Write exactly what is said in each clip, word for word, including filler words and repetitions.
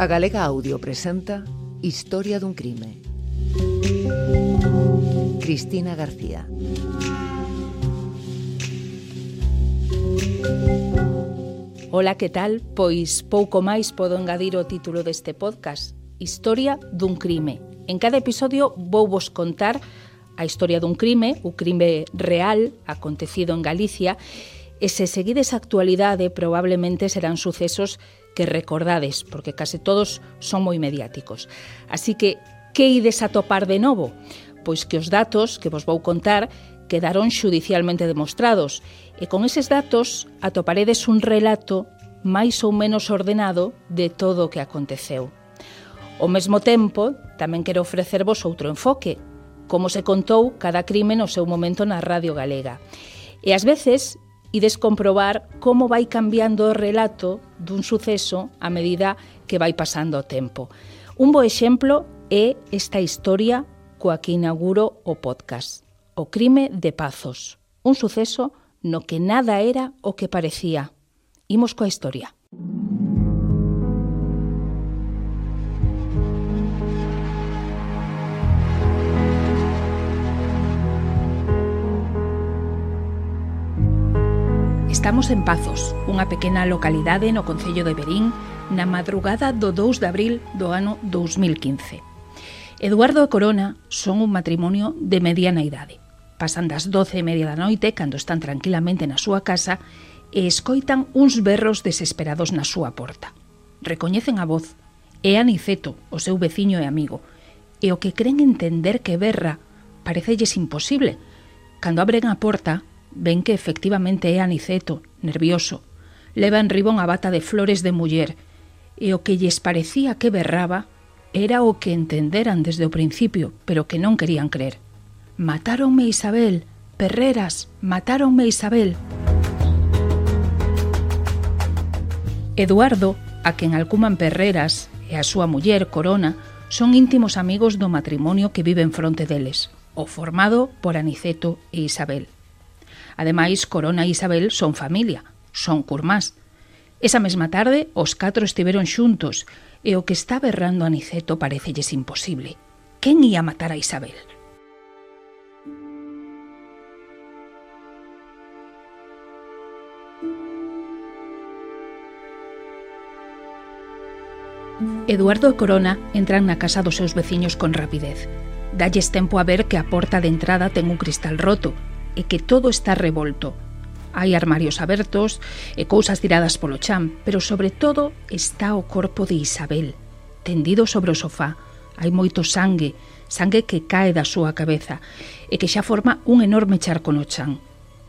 A Galega Audio presenta Historia dun crime. Cristina García. Ola, que tal? Pois pouco máis podo engadir o título deste podcast, Historia dun crime. En cada episodio vou vos contar a historia dun crime, o crime real acontecido en Galicia, e se seguides a actualidade probablemente serán sucesos que recordades, porque case todos son moi mediáticos. Así que, que ides a topar de novo? Pois que os datos que vos vou contar quedaron xudicialmente demostrados, e con eses datos atoparedes un relato máis ou menos ordenado de todo o que aconteceu. Ao mesmo tempo, tamén quero ofrecervos outro enfoque, como se contou cada crime no seu momento na Radio Galega. E ás veces ides comprobar como vai cambiando o relato dun suceso a medida que vai pasando o tempo. Un bo exemplo é esta historia coa que inauguro o podcast. O crime de Pazos, un suceso no que nada era o que parecía. Imos coa historia. Estamos en Pazos, unha pequena localidade no concello de Verín, na madrugada do dous de abril do ano dous mil quince. Eduardo e Corona son un matrimonio de mediana idade. Pasan das doce e media da noite, cando están tranquilamente na súa casa, e escoitan uns berros desesperados na súa porta. Recoñecen a voz. É Aniceto, o seu veciño e amigo, e o que creen entender que berra parecelles imposible. Cando abren a porta, ven que efectivamente é Aniceto, nervioso. Leva en riba unha bata de flores de muller, e o que lles parecía que berraba era o que entenderan desde o principio, pero que non querían crer. Matáronme Isabel, Perreras, matáronme Isabel. Eduardo, a quen alcuman Perreras, e a súa muller, Corona, son íntimos amigos do matrimonio que vive en fronte deles, o formado por Aniceto e Isabel. Ademais, Corona e Isabel son familia, son curmás. Esa mesma tarde, os catro estiveron xuntos, e o que está berrando Aniceto parecelles imposible. Quen ia matar a Isabel? Eduardo e Corona entran na casa dos seus veciños con rapidez. Dalles tempo a ver que a porta de entrada ten un cristal roto, e que todo está revolto. Hai armarios abertos e cousas tiradas polo chan, pero sobre todo está o corpo de Isabel, tendido sobre o sofá. Hai moito sangue, sangue que cae da súa cabeza e que xa forma un enorme charco no chan.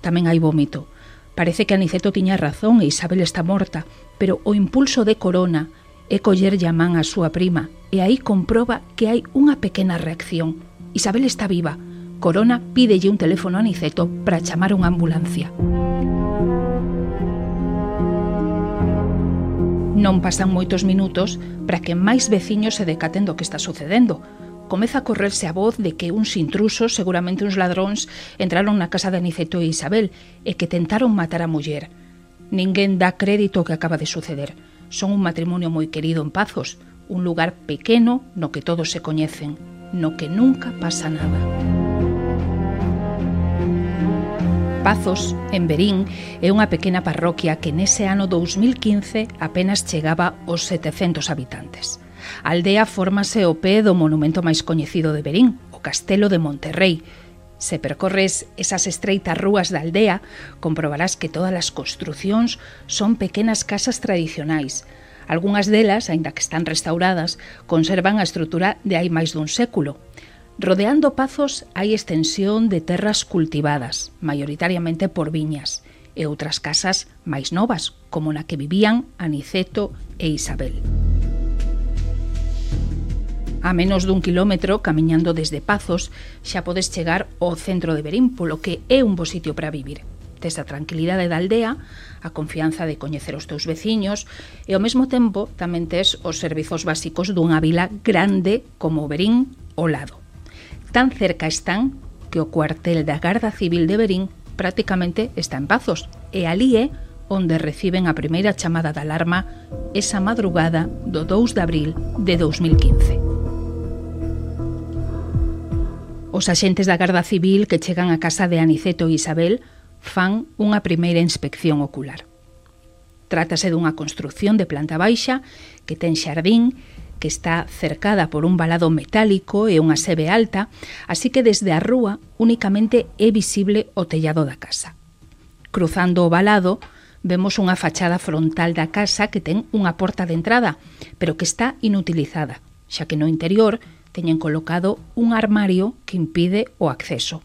Tamén hai vómito. Parece que Aniceto tiña razón e Isabel está morta, pero o impulso de Corona é collerlle a man á súa prima, e aí comproba que hai unha pequena reacción. Isabel está viva. Corona pídelle un teléfono a Aniceto para chamar unha ambulancia. Non pasan moitos minutos para que máis veciños se decaten do que está sucedendo. Comeza a correrse a voz de que uns intrusos, seguramente uns ladróns, entraron na casa de Aniceto e Isabel e que tentaron matar a muller. Ninguén dá crédito ao que acaba de suceder. Son un matrimonio moi querido en Pazos, un lugar pequeno no que todos se coñecen, no que nunca pasa nada. Pazos, en Verín, é unha pequena parroquia que nese ano dous mil quince apenas chegaba aos setecentos habitantes. A aldea fórmase ao pé do monumento máis coñecido de Verín, o Castelo de Monterrei. Se percorres esas estreitas rúas da aldea, comprobarás que todas as construcións son pequenas casas tradicionais. Algúnas delas, aínda que están restauradas, conservan a estrutura de hai máis dun século. Rodeando Pazos hai extensión de terras cultivadas, maioritariamente por viñas, e outras casas máis novas, como na que vivían Aniceto e Isabel. A menos dun kilómetro, camiñando desde Pazos, xa podes chegar ao centro de Verín, polo que é un bo sitio para vivir. Tes a tranquilidade da aldea, a confianza de coñecer os teus veciños, e ao mesmo tempo tamén tes os servizos básicos dunha vila grande como Verín ao lado. Tan cerca están que o cuartel da Garda Civil de Verín prácticamente está en Pazos, e alí é onde reciben a primeira chamada de alarma esa madrugada do dous de abril de dous mil quince. Os axentes da Garda Civil que chegan á casa de Aniceto e Isabel fan unha primeira inspección ocular. Trátase dunha construción de planta baixa que ten xardín, que está cercada por un valado metálico e unha sebe alta, así que desde a rúa únicamente é visible o tellado da casa. Cruzando o valado, vemos unha fachada frontal da casa que ten unha porta de entrada, pero que está inutilizada, xa que no interior teñen colocado un armario que impide o acceso.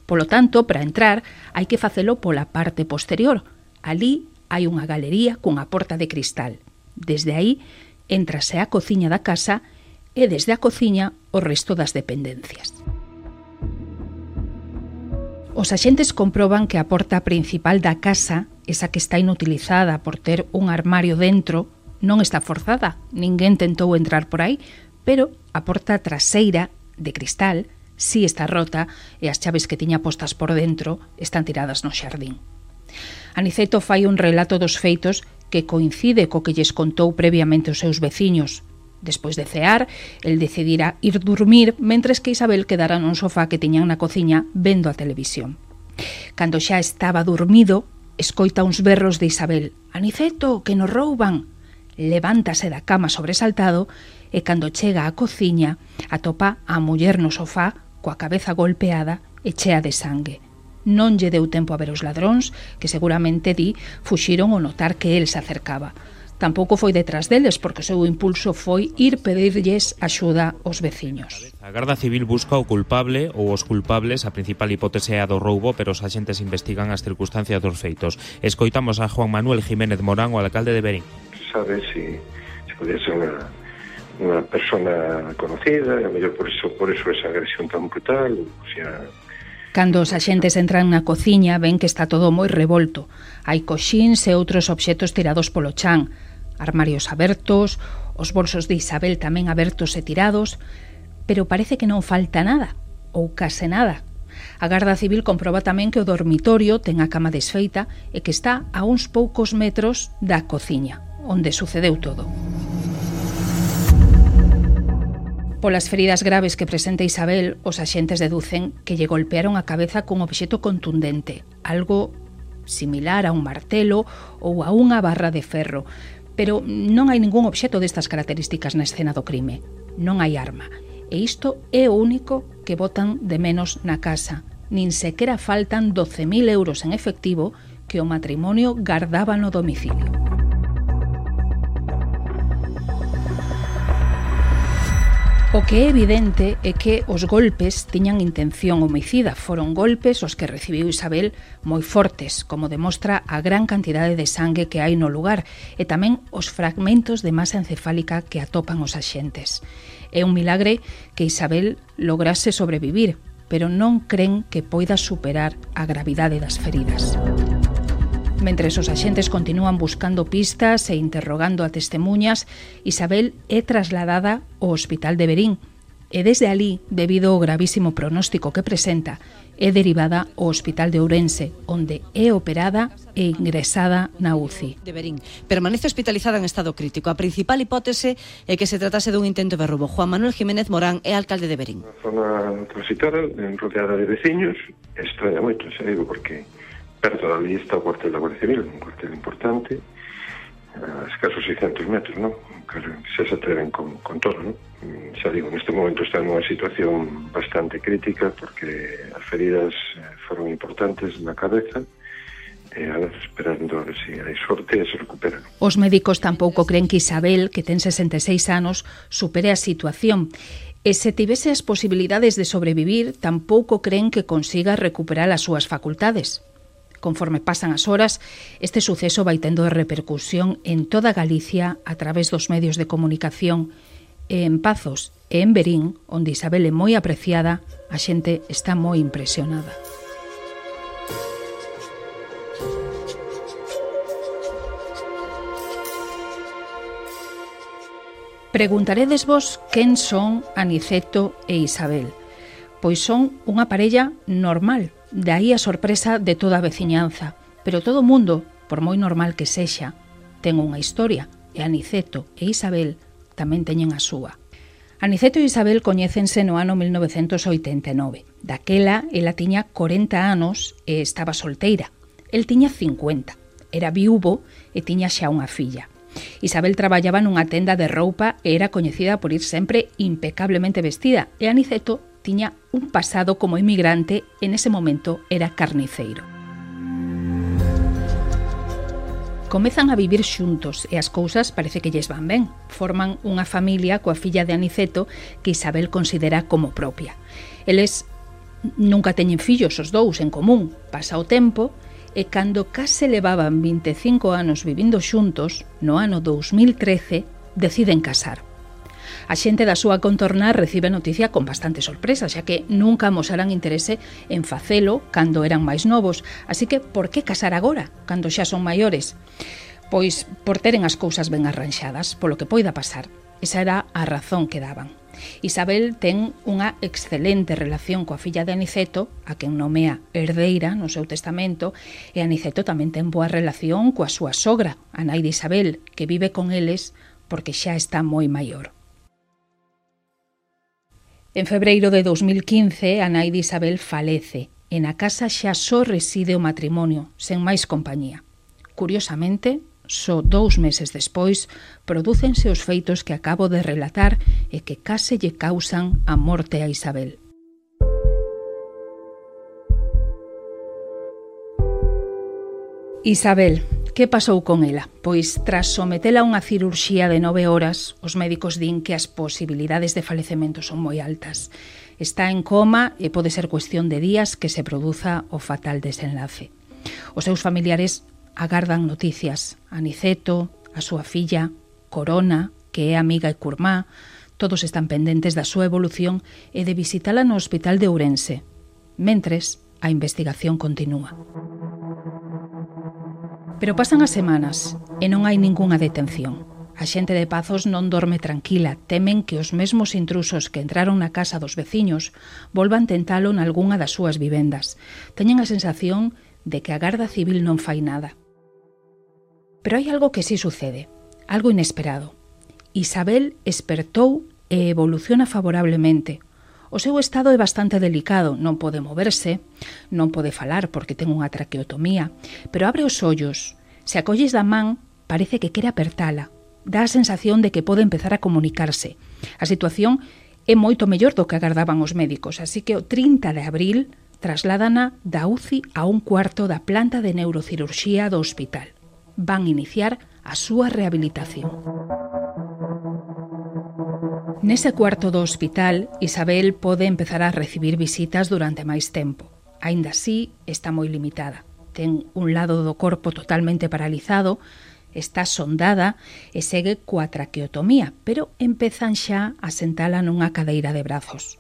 Polo tanto, para entrar, hai que facelo pola parte posterior. Ali hai unha galería cunha porta de cristal. Desde aí, entrase á cociña da casa e desde a cociña o resto das dependencias. Os axentes comproban que a porta principal da casa, esa que está inutilizada por ter un armario dentro, non está forzada. Ninguén tentou entrar por aí, pero a porta traseira, de cristal, si está rota e as chaves que tiña postas por dentro están tiradas no xardín. Aniceto fai un relato dos feitos que coincide co que lles contou previamente os seus veciños. Despois de cear, el decidira ir dormir, mentres que Isabel quedara nun sofá que tiñan na cociña vendo a televisión. Cando xa estaba dormido, escoita uns berros de Isabel. «Aniceto, que nos rouban!» Levántase da cama sobresaltado e cando chega á cociña atopa a muller no sofá coa cabeza golpeada e chea de sangue. Non lle deu tempo a ver os ladróns, que seguramente di fuxiron ao notar que el se acercaba. Tampouco foi detrás deles, porque o seu impulso foi ir pedirlles axuda aos veciños. A Garda Civil busca o culpable ou os culpables. A principal hipótese é a do roubo, pero os axentes investigan as circunstancias dos feitos. Escoitamos a Juan Manuel Jiménez Morán, o alcalde de Verín. Sabe si, si podía ser unha, unha persona conocida, e a mellor por eso, por eso esa agresión tan brutal, o sea... Cando os axentes entran na cociña, ven que está todo moi revolto. Hai coxíns e outros obxetos tirados polo chan, armarios abertos, os bolsos de Isabel tamén abertos e tirados, pero parece que non falta nada, ou case nada. A Garda Civil comproba tamén que o dormitorio ten a cama desfeita e que está a uns poucos metros da cociña, onde sucedeu todo. Polas feridas graves que presenta Isabel, os axentes deducen que lle golpearon a cabeza cun obxeto contundente, algo similar a un martelo ou a unha barra de ferro, pero non hai ningún obxeto destas características na escena do crime. Non hai arma. E isto é o único que botan de menos na casa. Nin sequera faltan doce mil euros en efectivo que o matrimonio gardaba no domicilio. O que é evidente é que os golpes tiñan intención homicida. Foron golpes os que recibiu Isabel moi fortes, como demostra a gran cantidade de sangue que hai no lugar e tamén os fragmentos de masa encefálica que atopan os axentes. É un milagre que Isabel lograse sobrevivir, pero non cren que poida superar a gravidade das feridas. Mentres os axentes continúan buscando pistas e interrogando a testemuñas, Isabel é trasladada ao Hospital de Verín e desde alí, debido ao gravísimo pronóstico que presenta, é derivada ao Hospital de Ourense, onde é operada e ingresada na U C I. De Verín. Permanece hospitalizada en estado crítico. A principal hipótese é que se tratase dun intento de roubo. Juan Manuel Jiménez Morán é alcalde de Verín. Na zona transitada, rodeada de veciños, extraña moito, xa digo, porque perto da está o cuartel da Guardia Civil, un cuartel importante, a escasos seiscentos metros, non? Claro, xa se atreven con, con todo, non? Xa digo, neste momento está nunha situación bastante crítica porque as feridas foron importantes na cabeza e a vez esperando a ver se hai sorte e se recuperan. Os médicos tampouco creen que Isabel, que ten sesenta e seis anos, supere a situación. E se tivese as posibilidades de sobrevivir, tampouco creen que consiga recuperar as súas facultades. Conforme pasan as horas, este suceso vai tendo repercusión en toda Galicia a través dos medios de comunicación e en Pazos e en Verín, onde Isabel é moi apreciada, a xente está moi impresionada. Preguntaredes vos quen son Aniceto e Isabel. Pois son unha parella normal. De aí a sorpresa de toda a veciñanza. Pero todo o mundo, por moi normal que sexa, ten unha historia, e Aniceto e Isabel tamén teñen a súa. Aniceto e Isabel coñécense no ano mil novecentos oitenta e nove. Daquela, ela tiña corenta anos e estaba solteira. El tiña cincuenta. Era viúvo e tiña xa unha filla. Isabel traballaba nunha tenda de roupa e era coñecida por ir sempre impecablemente vestida, e Aniceto tiña un pasado como emigrante e nese momento era carniceiro. Comezan a vivir xuntos e as cousas parece que lles van ben. Forman unha familia coa filla de Aniceto que Isabel considera como propia. Eles nunca teñen fillos os dous en común. Pasa o tempo e cando case levaban vinte e cinco anos vivindo xuntos, no ano dous mil trece, deciden casar. A xente da súa contorna recibe a noticia con bastante sorpresa, xa que nunca amosaran interese en facelo cando eran máis novos. Así que, por que casar agora, cando xa son maiores? Pois por teren as cousas ben arranxadas, polo que poida pasar. Esa era a razón que daban. Isabel ten unha excelente relación coa filla de Aniceto, a quen nomea herdeira no seu testamento, e Aniceto tamén ten boa relación coa súa sogra, a nai de Isabel, que vive con eles porque xa está moi maior. En febreiro de dous mil quince, a nai de Isabel falece, e na casa xa só reside o matrimonio, sen máis compañía. Curiosamente, só dous meses despois, prodúcense os feitos que acabo de relatar e que case lle causan a morte a Isabel. Isabel, que pasou con ela? Pois, tras sometela a unha cirurxía de nove horas, os médicos din que as posibilidades de falecemento son moi altas. Está en coma e pode ser cuestión de días que se produza o fatal desenlace. Os seus familiares agardan noticias. Aniceto, a súa filla, Corona, que é amiga e curmá, todos están pendentes da súa evolución e de visitala no hospital de Ourense. Mentres, a investigación continúa. Pero pasan as semanas e non hai ningunha detención. A xente de Pazos non dorme tranquila, temen que os mesmos intrusos que entraron na casa dos veciños volvan tentalo nalgunha das súas vivendas. Teñen a sensación de que a Garda Civil non fai nada. Pero hai algo que sí sucede, algo inesperado. Isabel espertou e evoluciona favorablemente. O seu estado é bastante delicado, non pode moverse, non pode falar porque ten unha traqueotomía, pero abre os ollos. Se acolles da man, parece que quere apertala. Dá a sensación de que pode empezar a comunicarse. A situación é moito mellor do que agardaban os médicos, así que o trinta de abril trasládana da U C I a un cuarto da planta de neurocirurxía do hospital. Van iniciar a súa rehabilitación. Nese cuarto do hospital, Isabel pode empezar a recibir visitas durante máis tempo. Aínda así, está moi limitada. Ten un lado do corpo totalmente paralizado, está sondada e segue coa traqueotomía, pero empezan xa a sentala nunha cadeira de brazos.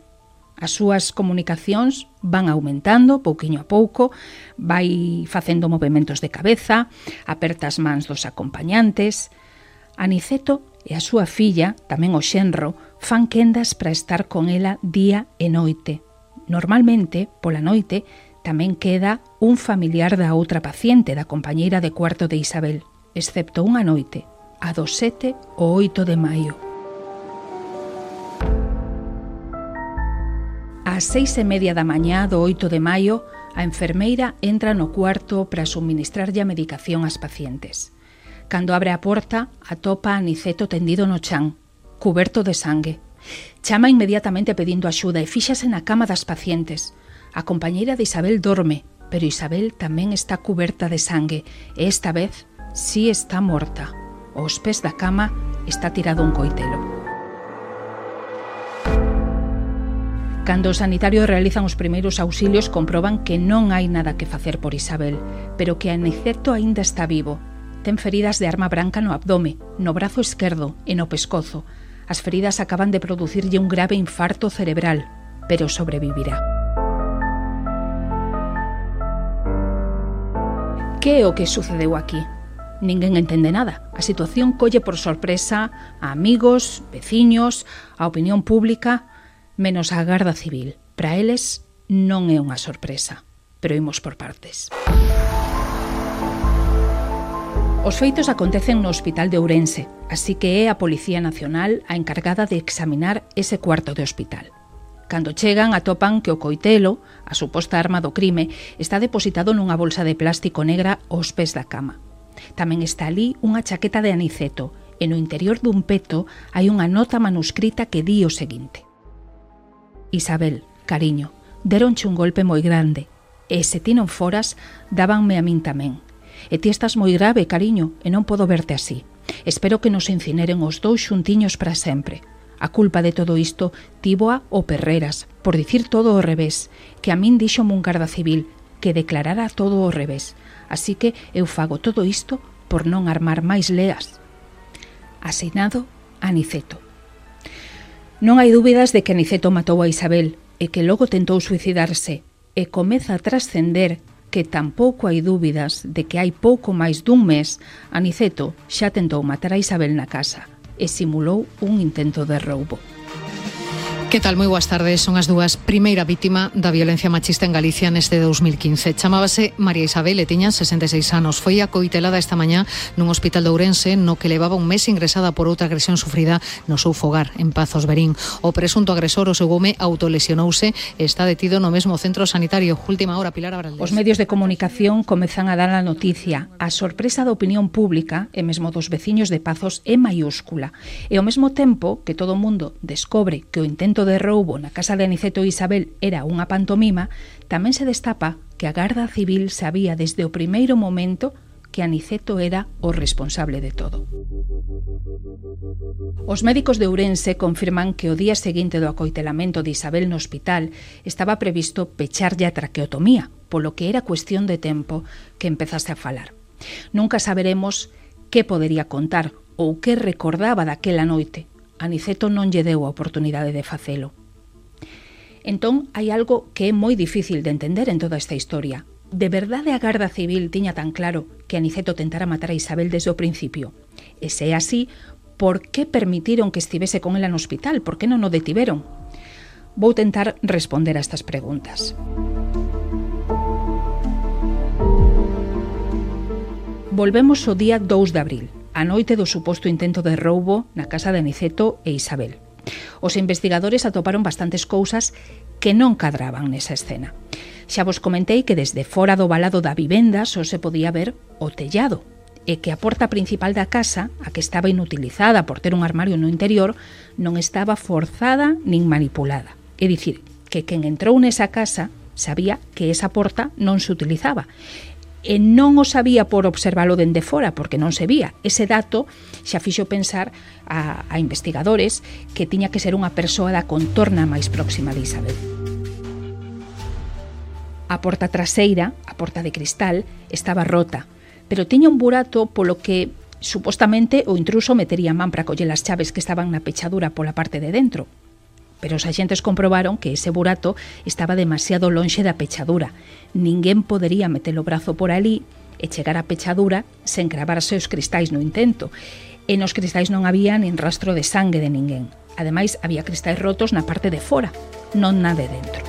As súas comunicacións van aumentando pouquiño a pouco, vai facendo movementos de cabeza, aperta as mans dos acompañantes. Aniceto e a súa filla, tamén o xenro, fan quendas para estar con ela día e noite. Normalmente, pola noite, tamén queda un familiar da outra paciente, da compañeira de cuarto de Isabel, excepto unha noite, a do sete ou oito de maio. Ás seis e media da mañá do oito de maio, a enfermeira entra no cuarto para suministrarlle a medicación ás pacientes. Cando abre a porta, atopa a Aniceto tendido no chan, cuberto de sangue. Chama inmediatamente pedindo axuda e fíxase na cama das pacientes. A compañeira de Isabel dorme, pero Isabel tamén está cuberta de sangue e esta vez sí está morta. Aos pés da cama está tirado un coitelo. Cando os sanitarios realizan os primeiros auxilios, comproban que non hai nada que facer por Isabel, pero que Aniceto aínda está vivo. Ten feridas de arma branca no abdome, no brazo esquerdo e no pescozo. As feridas acaban de producirlle un grave infarto cerebral, pero sobrevivirá. Que é o que sucedeu aquí? Ninguén entende nada. A situación colle por sorpresa a amigos, veciños, a opinión pública, menos a Garda Civil. Para eles non é unha sorpresa, pero imos por partes. Os feitos acontecen no Hospital de Ourense, así que é a Policía Nacional a encargada de examinar ese cuarto de hospital. Cando chegan, atopan que o coitelo, a suposta arma do crime, está depositado nunha bolsa de plástico negra aos pés da cama. Tamén está ali unha chaqueta de Aniceto, e no interior dun peto hai unha nota manuscrita que di o seguinte: Isabel, cariño, deronche un golpe moi grande, e se ti non foras, dábanme a min tamén. E ti estás moi grave, cariño, e non podo verte así. Espero que nos incineren os dous xuntiños para sempre. A culpa de todo isto tívoa o Perreras, por dicir todo ao revés, que a min díxome un garda civil, que declarara todo ao revés. Así que eu fago todo isto por non armar máis leas. Asinado, Aniceto. Non hai dúbidas de que Aniceto matou a Isabel e que logo tentou suicidarse, e comeza a trascender que tampouco hai dúbidas de que hai pouco máis dun mes Aniceto xa tentou matar a Isabel na casa e simulou un intento de roubo. Que tal? Moi boas tardes. Son as dúas. Primeira vítima da violencia machista en Galicia neste dous mil quince. Chamábase María Isabel e tiña sesenta e seis anos. Foi acoitelada esta mañá nun hospital de Ourense no que levaba un mes ingresada por outra agresión sufrida no seu fogar, en Pazos Verín. O presunto agresor, o seu home, autolesionouse e está detido no mesmo centro sanitario. Última hora, Pilar Abraldés. Os medios de comunicación comezan a dar a noticia. A sorpresa da opinión pública e mesmo dos veciños de Pazos é maiúscula. E ao mesmo tempo que todo o mundo descobre que o intento de roubo na casa de Aniceto e Isabel era unha pantomima, tamén se destapa que a Garda Civil sabía desde o primeiro momento que Aniceto era o responsable de todo. Os médicos de Ourense confirman que o día seguinte do acoitelamento de Isabel no hospital estaba previsto pecharlle a traqueotomía, polo que era cuestión de tempo que empezase a falar. Nunca saberemos que podería contar ou que recordaba daquela noite. Aniceto non lle deu a oportunidade de facelo. Entón, hai algo que é moi difícil de entender en toda esta historia. De verdade a Garda Civil tiña tan claro que Aniceto tentara matar a Isabel desde o principio? E se é así, por que permitiron que estivese con ela no hospital? Por que non o detiveron? Vou tentar responder a estas preguntas. Volvemos ao día dous de abril, a noite do suposto intento de roubo na casa de Aniceto e Isabel. Os investigadores atoparon bastantes cousas que non cadraban nesa escena. Xa vos comentei que desde fora do valado da vivenda só se podía ver o tellado e que a porta principal da casa, a que estaba inutilizada por ter un armario no interior, non estaba forzada nin manipulada. É dicir, que quen entrou nesa casa sabía que esa porta non se utilizaba. E non o sabía por observalo dende fora, porque non se vía. Ese dato xa fixo pensar a, a investigadores que tiña que ser unha persoa da contorna máis próxima de Isabel. A porta traseira, a porta de cristal, estaba rota, pero tiña un burato polo que supostamente o intruso metería a man para coller as chaves que estaban na pechadura pola parte de dentro. Pero os axentes comprobaron que ese burato estaba demasiado lonxe da pechadura. Ninguén podería meter o brazo por ali e chegar á pechadura sen cravarse os cristais no intento. E nos cristais non había nin rastro de sangue de ninguén. Ademais, había cristais rotos na parte de fora, non na de dentro.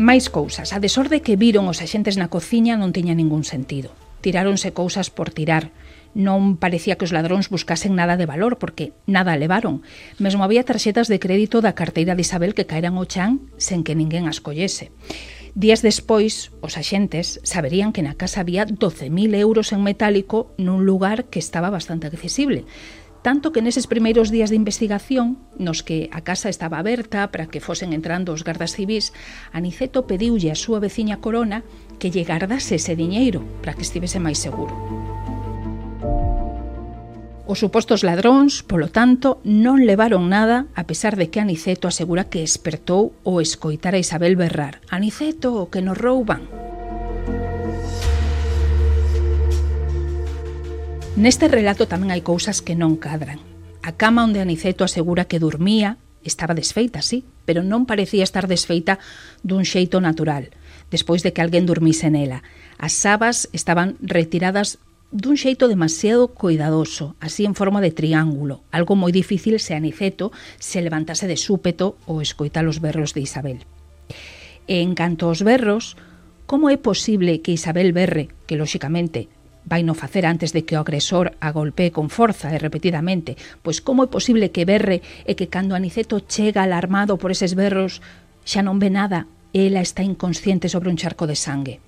Mais cousas. A desorde que viron os axentes na cociña non tiña ningún sentido. Tiráronse cousas por tirar. Non parecía que os ladróns buscasen nada de valor, porque nada levaron. Mesmo había tarxetas de crédito da carteira de Isabel que caeran ao chan sen que ninguén as collese. Días despois, os axentes saberían que na casa había doce mil euros en metálico nun lugar que estaba bastante accesible. Tanto que neses primeiros días de investigación, nos que a casa estaba aberta para que fosen entrando os gardas civís, Aniceto pediulle a súa veciña Corona que lle gardase ese diñeiro para que estivese máis seguro. Os supostos ladróns, polo tanto, non levaron nada, a pesar de que Aniceto asegura que espertou o escoitar a Isabel berrar: Aniceto, que nos rouban. Neste relato tamén hai cousas que non cadran. A cama onde Aniceto asegura que dormía estaba desfeita, sí, pero non parecía estar desfeita dun xeito natural, despois de que alguén dormise nela. As sabas estaban retiradas dun xeito demasiado cuidadoso, así en forma de triángulo, algo moi difícil se Aniceto se levantase de súpeto ou escoita os berros de Isabel. E en canto aos berros, como é posible que Isabel berre, que lóxicamente vai no facer antes de que o agresor a golpee con forza e repetidamente, pois como é posible que berre e que cando Aniceto chega alarmado por eses berros xa non ve nada e ela está inconsciente sobre un charco de sangue?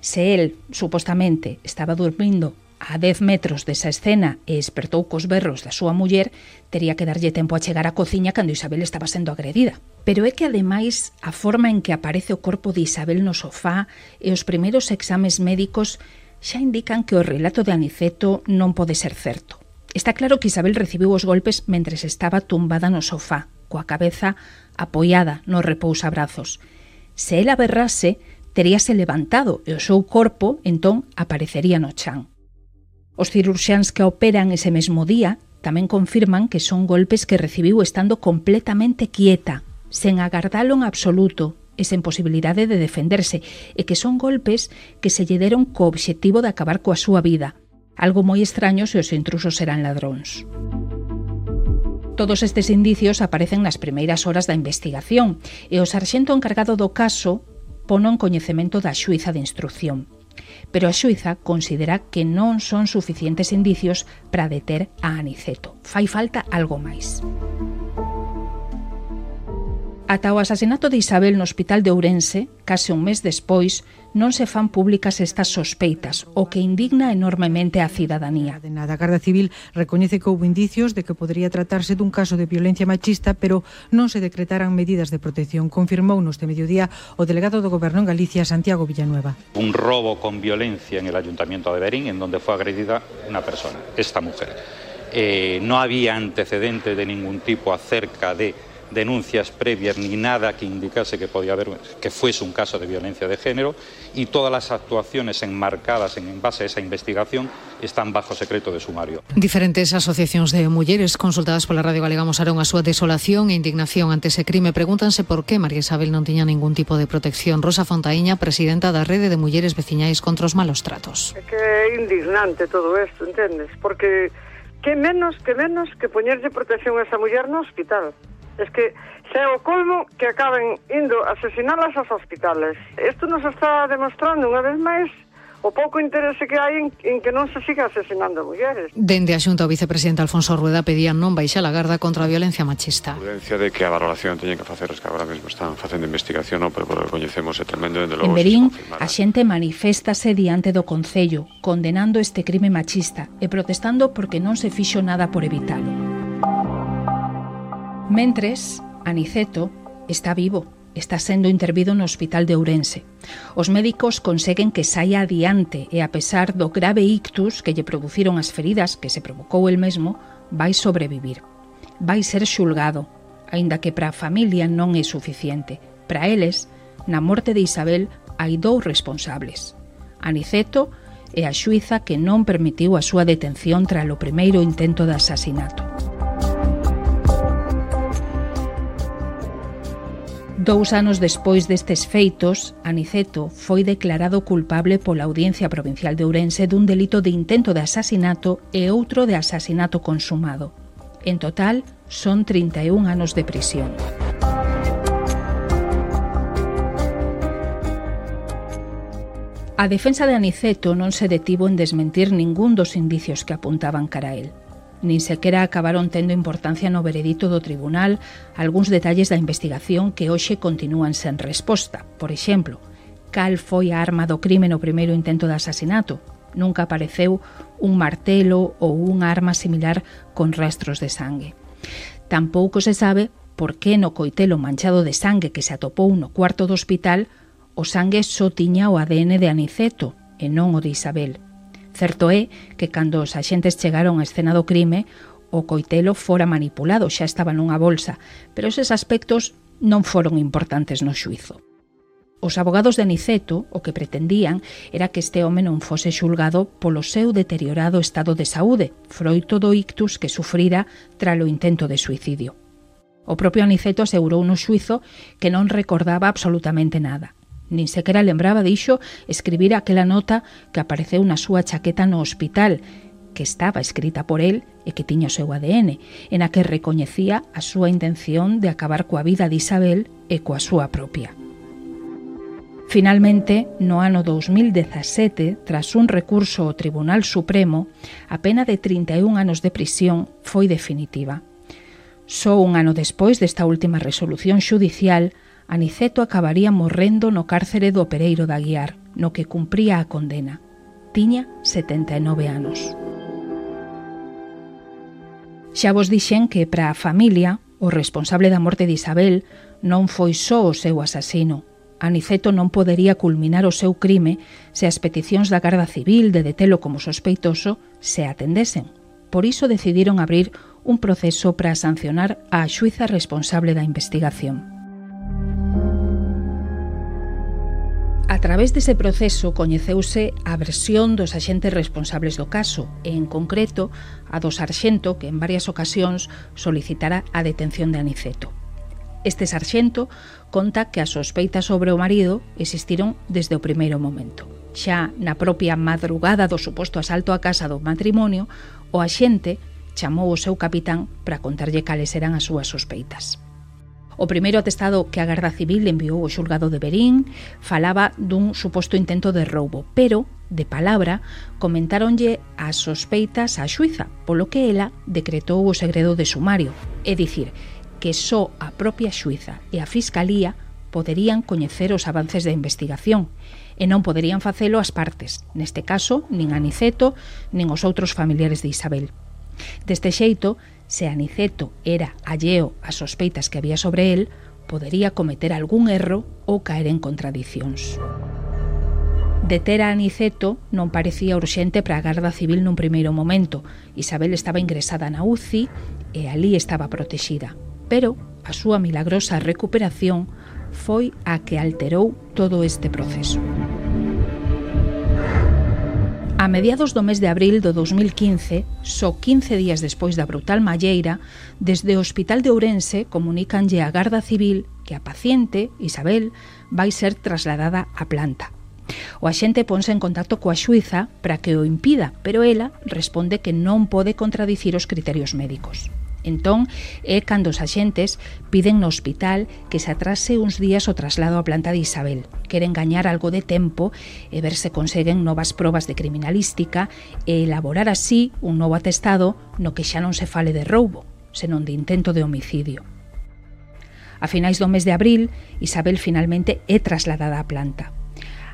Se el, supostamente, estaba dormindo a dez metros desa escena e despertou cos berros da súa muller, tería que darlle tempo a chegar á cociña cando Isabel estaba sendo agredida. Pero é que, ademais, a forma en que aparece o corpo de Isabel no sofá e os primeiros exames médicos xa indican que o relato de Aniceto non pode ser certo. Está claro que Isabel recibiu os golpes mentres estaba tumbada no sofá, coa cabeza apoiada nos repousabrazos. Se ela berrase, teríase levantado e o seu corpo, entón, aparecería no chan. Os cirurxiáns que a operan ese mesmo día tamén confirman que son golpes que recibiu estando completamente quieta, sen agardalo en absoluto e sen posibilidade de defenderse, e que son golpes que se lle deron co obxectivo de acabar coa súa vida, algo moi extraño se os intrusos eran ladróns. Todos estes indicios aparecen nas primeiras horas da investigación e o sarxento encargado do caso pono en coñecemento da xuíza de instrucción. Pero a xuíza considera que non son suficientes indicios para deter a Aniceto. Fai falta algo máis. Ata o asasinato de Isabel no hospital de Ourense, case un mes despois, non se fan públicas estas sospeitas, o que indigna enormemente a cidadanía. A Garda Civil recoñece que houve indicios de que podería tratarse dun caso de violencia machista, pero non se decretaran medidas de protección. Confirmou neste mediodía o delegado do Goberno en Galicia, Santiago Villanueva. Un robo con violencia en el Ayuntamiento de Verín, en donde fue agredida una persona, esta mujer. Eh, no había antecedente de ningún tipo acerca de denuncias previas ni nada que indicase que podía haber que fuese un caso de violencia de género, y todas las actuaciones enmarcadas en base a esa investigación están bajo secreto de sumario. Diferentes asociacións de mulleres consultadas pola Radio Galega mostraron a súa desolación e indignación ante ese crime. Pregúntanse por que María Isabel non tiña ningún tipo de protección. Rosa Fontaíña, presidenta da Rede de Mulleres Veciñais contra os Malos Tratos. É que é indignante todo isto, entendes? Porque que menos que menos que poñerlle protección a esa muller no hospital. Es que xa é o colmo que acaben indo a asesinalas aos hospitales. Isto nos está demostrando unha vez máis o pouco interese que hai en, en que non se siga asesinando mulleres. Dende a Xunta, o vicepresidente Alfonso Rueda pedía non baixar a garda contra a violencia machista. A prudencia de que a valoración teñen que facer os que agora mesmo están facendo investigación, non? Pero por que coñecemos é tremendo. Dende logo, en Verín, a xente maniféstase diante do Concello, condenando este crime machista e protestando porque non se fixo nada por evitalo. Mentres, Aniceto está vivo, está sendo intervido no hospital de Ourense. Os médicos conseguen que saia adiante e, a pesar do grave ictus que lle produciron as feridas que se provocou el mesmo, vai sobrevivir. Vai ser xulgado, aínda que para a familia non é suficiente. Para eles, na morte de Isabel hai dous responsables: Aniceto e a xuíza que non permitiu a súa detención tras o primeiro intento de asasinato. Dous anos despois destes feitos, Aniceto foi declarado culpable pola Audiencia Provincial de Ourense dun delito de intento de asasinato e outro de asasinato consumado. En total, son trinta e un anos de prisión. A defensa de Aniceto non se detivo en desmentir ningún dos indicios que apuntaban cara a él. Nin sequera acabaron tendo importancia no veredito do tribunal algúns detalles da investigación que hoxe continúan sen resposta. Por exemplo, cal foi a arma do crime no primeiro intento de asasinato? Nunca apareceu un martelo ou unha arma similar con rastros de sangue. Tampouco se sabe por que no coitelo manchado de sangue que se atopou no cuarto do hospital o sangue só tiña o A D N de Aniceto e non o de Isabel. Certo é que cando os axentes chegaron á escena do crime, o coitelo fora manipulado, xa estaba nunha bolsa, pero eses aspectos non foron importantes no xuízo. Os abogados de Aniceto o que pretendían era que este home non fose xulgado polo seu deteriorado estado de saúde, froito do ictus que sufrira tras o intento de suicidio. O propio Aniceto asegurou no xuízo que non recordaba absolutamente nada. Nin sequera lembraba, dixo, escribir aquela nota que apareceu na súa chaqueta no hospital, que estaba escrita por el e que tiña o seu A D N, en a que recoñecía a súa intención de acabar coa vida de Isabel e coa súa propia. Finalmente, no ano dos mil dezasete, tras un recurso ao Tribunal Supremo, a pena de trinta e un anos de prisión foi definitiva. Só un ano despois desta última resolución xudicial, Aniceto acabaría morrendo no cárcere do Pereiro de Aguiar, no que cumpría a condena. Tiña setenta e nove anos. Xa vos dixen que para a familia, o responsable da morte de Isabel non foi só o seu asasino. Aniceto non podería culminar o seu crime se as peticións da Garda Civil de detelo como sospeitoso se atendesen. Por iso decidiron abrir un proceso para sancionar a xuíza responsable da investigación. A través dese proceso coñeceuse a versión dos axentes responsables do caso e, en concreto, a do sarxento que en varias ocasións solicitara a detención de Aniceto. Este sarxento conta que as sospeitas sobre o marido existiron desde o primeiro momento. Xa na propia madrugada do suposto asalto á casa do matrimonio, o axente chamou o seu capitán para contarlle cales eran as súas sospeitas. O primeiro atestado que a Garda Civil enviou ao xulgado de Verín falaba dun suposto intento de roubo, pero, de palabra, comentáronlle as sospeitas á xuíza, polo que ela decretou o segredo de sumario, é dicir, que só a propia xuíza e a Fiscalía poderían coñecer os avances da investigación e non poderían facelo as partes, neste caso, nin Aniceto, nin os outros familiares de Isabel. Deste xeito, se Aniceto era alleo ás sospeitas que había sobre el, podería cometer algún erro ou caer en contradicións. Deter a Aniceto non parecía urxente para a Garda Civil nun primeiro momento. Isabel estaba ingresada na U C I e ali estaba protexida. Pero a súa milagrosa recuperación foi a que alterou todo este proceso. A mediados do mes de abril do dos mil quince, só quince días despois da brutal malleira, desde o Hospital de Ourense comunícanlle á Garda Civil que a paciente, Isabel, vai ser trasladada á planta. O axente ponse en contacto coa xuíza para que o impida, pero ela responde que non pode contradicir os criterios médicos. Entón, é cando os axentes piden no hospital que se atrase uns días o traslado á planta de Isabel. Queren gañar algo de tempo e ver se conseguen novas probas de criminalística e elaborar así un novo atestado no que xa non se fale de roubo, senón de intento de homicidio. A finais do mes de abril, Isabel finalmente é trasladada á planta.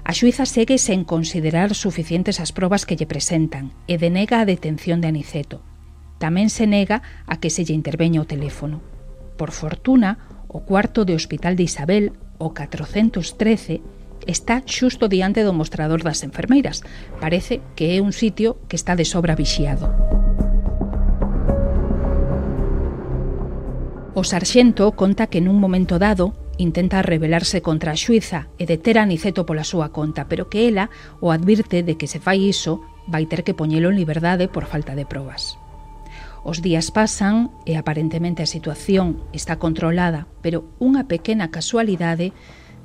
A xuíza segue sen considerar suficientes as probas que lle presentan e denega a detención de Aniceto. Tamén se nega a que se lle interveña o teléfono. Por fortuna, o cuarto de hospital de Isabel, o catrocentos trece, está xusto diante do mostrador das enfermeiras. Parece que é un sitio que está de sobra vixiado. O sarxento conta que nun momento dado intenta rebelarse contra a xuíza e deter a Aniceto pola súa conta, pero que ela o advirte de que se fai iso vai ter que poñelo en liberdade por falta de probas. Os días pasan e aparentemente a situación está controlada, pero unha pequena casualidade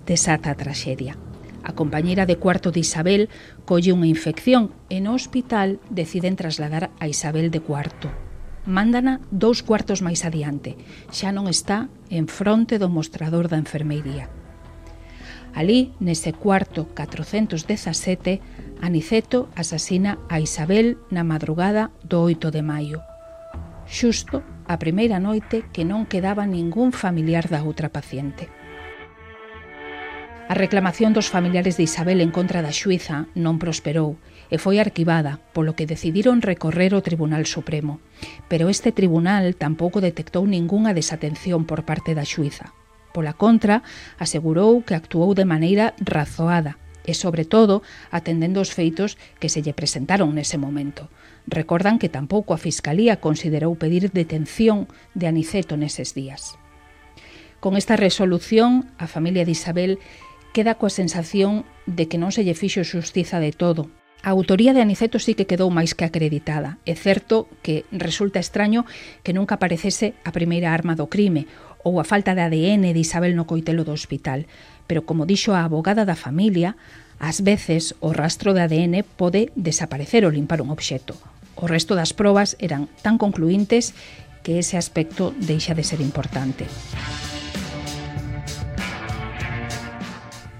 desata a traxedia. A compañeira de cuarto de Isabel colle unha infección e no hospital deciden trasladar a Isabel de cuarto. Mándana dous cuartos máis adiante, xa non está en fronte do mostrador da enfermeiría. Alí, nese cuarto catrocentos dezasete, Aniceto asasina a Isabel na madrugada do oito de maio. Xusto a primeira noite que non quedaba ningún familiar da outra paciente. A reclamación dos familiares de Isabel en contra da xuíza non prosperou e foi arquivada, polo que decidiron recorrer ao Tribunal Supremo. Pero este tribunal tampouco detectou ningunha desatención por parte da xuíza. Pola contra, asegurou que actuou de maneira razoada e, sobre todo, atendendo os feitos que se lle presentaron nese momento. Recordan que tampouco a Fiscalía considerou pedir detención de Aniceto neses días. Con esta resolución, a familia de Isabel queda coa sensación de que non se lle fixo xustiza de todo. A autoría de Aniceto sí que quedou máis que acreditada. É certo que resulta extraño que nunca aparecese a primeira arma do crime ou a falta de A D N de Isabel no coitelo do hospital, pero como dixo a abogada da familia, ás veces o rastro de A D N pode desaparecer ou limpar un obxecto. O resto das probas eran tan concluíntes que ese aspecto deixa de ser importante.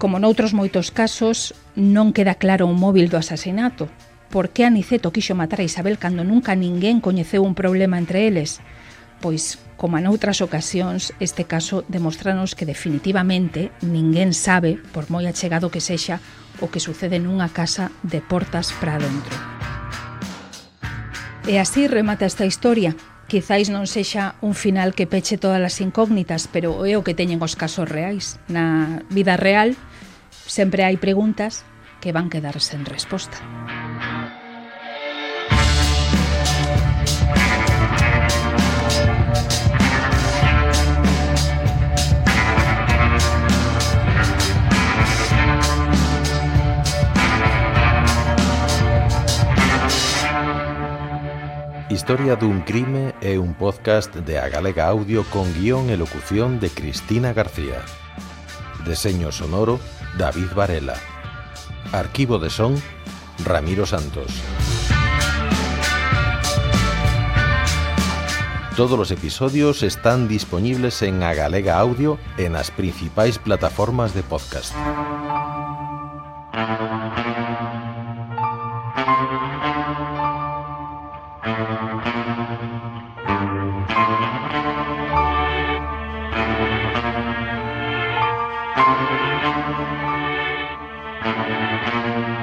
Como noutros moitos casos, non queda claro o móvil do asasinato. Por que Aniceto quixo matar a Isabel cando nunca ninguén coñeceu un problema entre eles? Pois, como noutras ocasións, este caso demostranos que definitivamente ninguén sabe, por moi achegado que sexa, o que sucede nunha casa de portas para dentro. E así remata esta historia. Quizáis non sexa un final que peche todas as incógnitas, pero é o que teñen os casos reais. Na vida real sempre hai preguntas que van quedar sen resposta. Historia dun crime é un podcast de A Galega Audio con guión e locución de Cristina García. Deseño sonoro, David Varela. Arquivo de son, Ramiro Santos. Todos os episodios están disponibles en A Galega Audio e nas principais plataformas de podcast. Thank you.